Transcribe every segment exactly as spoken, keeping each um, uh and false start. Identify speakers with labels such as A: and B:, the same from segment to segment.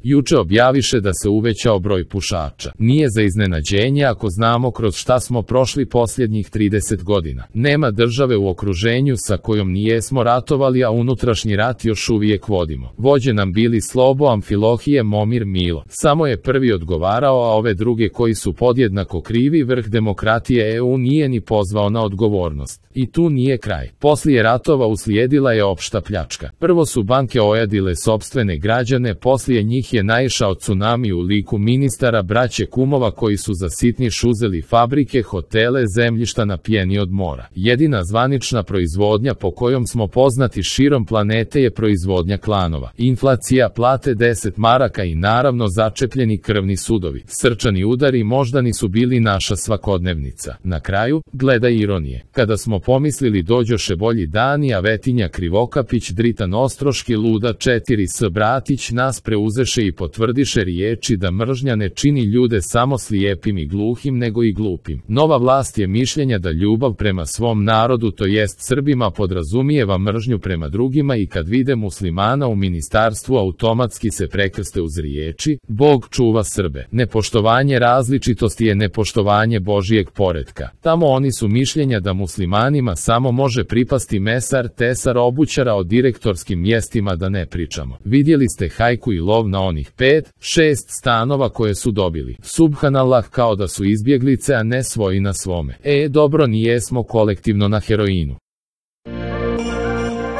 A: Juče objaviše da se uvećao broj pušača. Nije za iznenađenje ako znamo kroz šta smo prošli posljednjih trideset godina. Nema države u okruženju sa kojom nijesmo ratovali, a unutrašnji rat još uvijek vodimo. Vođe nam bili Slobo, Amfilohije, Momir, Milo. Samo je prvi odgovarao, a ove druge koji su podjednako krivi, vrh demokratije E U nije ni pozvao na odgovornost. I tu nije kraj. Poslije ratova uslijedila je opšta pljačka. Prvo su banke ojadile sopstvene građane, poslije njih je naišao tsunami u liku ministara braće kumova koji su za sitniš uzeli fabrike, hotele, zemljišta na pjeni od mora. Jedina zvanična proizvodnja po kojom smo poznati širom planete je proizvodnja klanova. Inflacija, plate deset maraka i naravno začepljeni krvni sudovi. Srčani udari moždani su bili naša svakodnevnica. Na kraju, gledaj ironije. Kada smo pomislili dođoše bolji dani, a Vetinja Krivokapić, Dritan Ostroški, Luda četiri S Bratić nas preuzeše i potvrdiše riječi da mržnja ne čini ljude samo slijepim i gluhim nego i glupim. Nova vlast je mišljenja da ljubav prema svom narodu, to jest Srbima, podrazumijeva mržnju prema drugima i kad vide muslimana u ministarstvu automatski se prekrste uz riječi Bog čuva Srbe. Nepoštovanje različitosti je nepoštovanje Božijeg poretka. Tamo oni su mišljenja da muslimanima samo može pripasti mesar, tesar, obućara, o direktorskim mjestima da ne pričamo. Vidjeli ste hajku i lov na onih pet, šest stanova koje su dobili. Subhanallah, kao da su izbjeglice, a ne svoji na svome. E, dobro, nijesmo kolektivno na heroinu.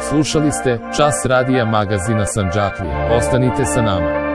A: Slušali ste Čas radija magazina Sandžaklije. Ostanite sa nama.